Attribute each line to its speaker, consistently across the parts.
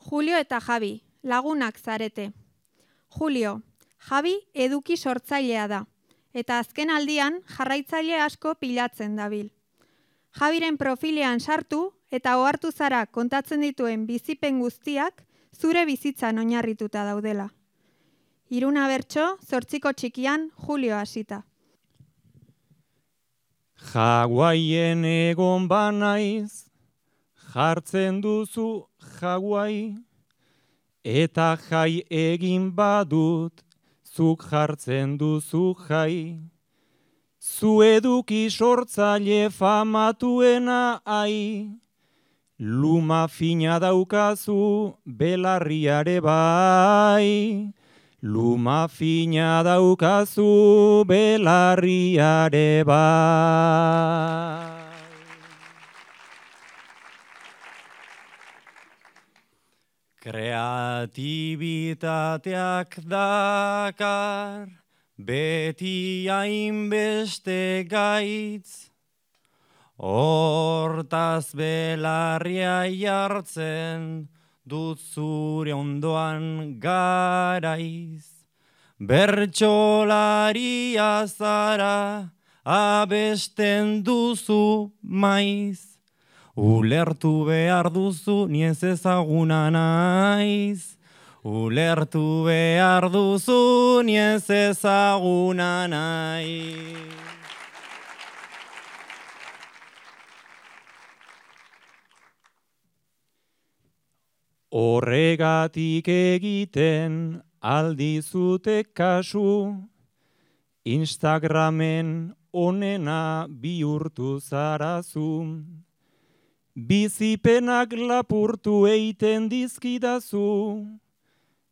Speaker 1: Julio eta Javi, lagunak zarete. Julio, Javi eduki sortzailea da, eta azken aldian jarraitzaile asko pilatzen dabil. Javiren profilean sartu eta ohartu zara kontatzen dituen bizipen guztiak zure bizitzan oinarrituta daudela. Iruna bertso, 8 txikian, Julio hasita.
Speaker 2: Hawaien egon banaiz, jartzen duzu Hawaii, eta jai egin badut, zuk jartzen duzu jai. Zu eduki sortzaile famatuena ai, luma fina daukazu belarriare bai. Luma fina daukazu belarriare bai. Kreatibitateak dakar, beti hainbeste gaitz, hortaz belarria jartzen, dut zure ondoan garaiz. Bertsolaria zara, abesten duzu maiz. Ulertu behar duzu, ni ez ezaguna naiz. Ulertu behar duzu, ni ez ezaguna naiz. Horregatik egiten aldizute kasu, Instagramen onena bihurtu zarazu. Bizipenak lapurtu eiten dizkidazu,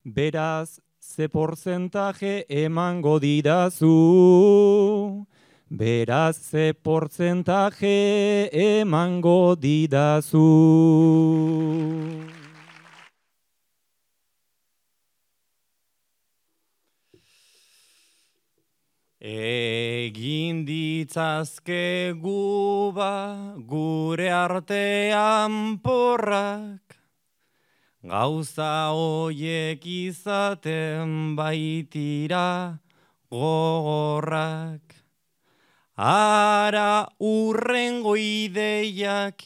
Speaker 2: beraz ze portzentaje emango didazu. Beraz ze portzentaje emango didazu. Egin ditzazkegu gure artean porrak, gauza hoiek izaten baitira gogorrak. Ara urrengo ideiak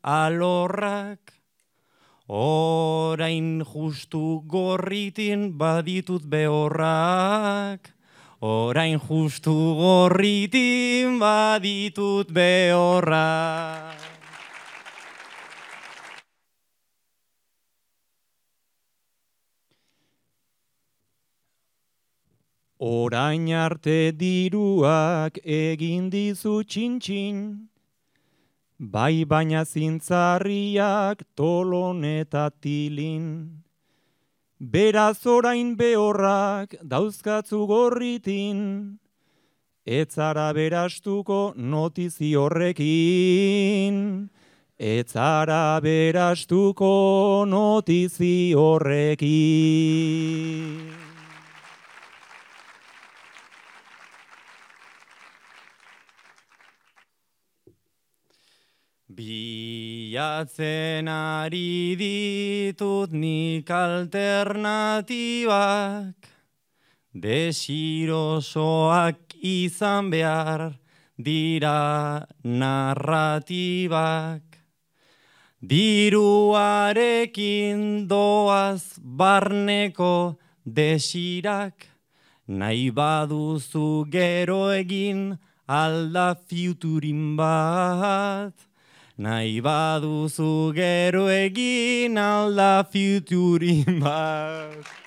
Speaker 2: alorrak, orain justu gorritin baditut behorrak. Orain justu gorritin baditut behorrak. Orain arte diruak egin dizu txintxin, bai baina zintzarriak tolon eta tilin. Beraz orain behorrak dauzkatzu gorritin, etzara berastuko notizi horrekin. Etzara berastuko notizi horrekin. Bilatzen ari ditut nik alternatibak, desirosoak izan behar dira narratibak. Diruarekin doaz barneko desirak, nahi baduzu gero egin alda futurin bat. Nahi baduzu gero egin alda futurin bat.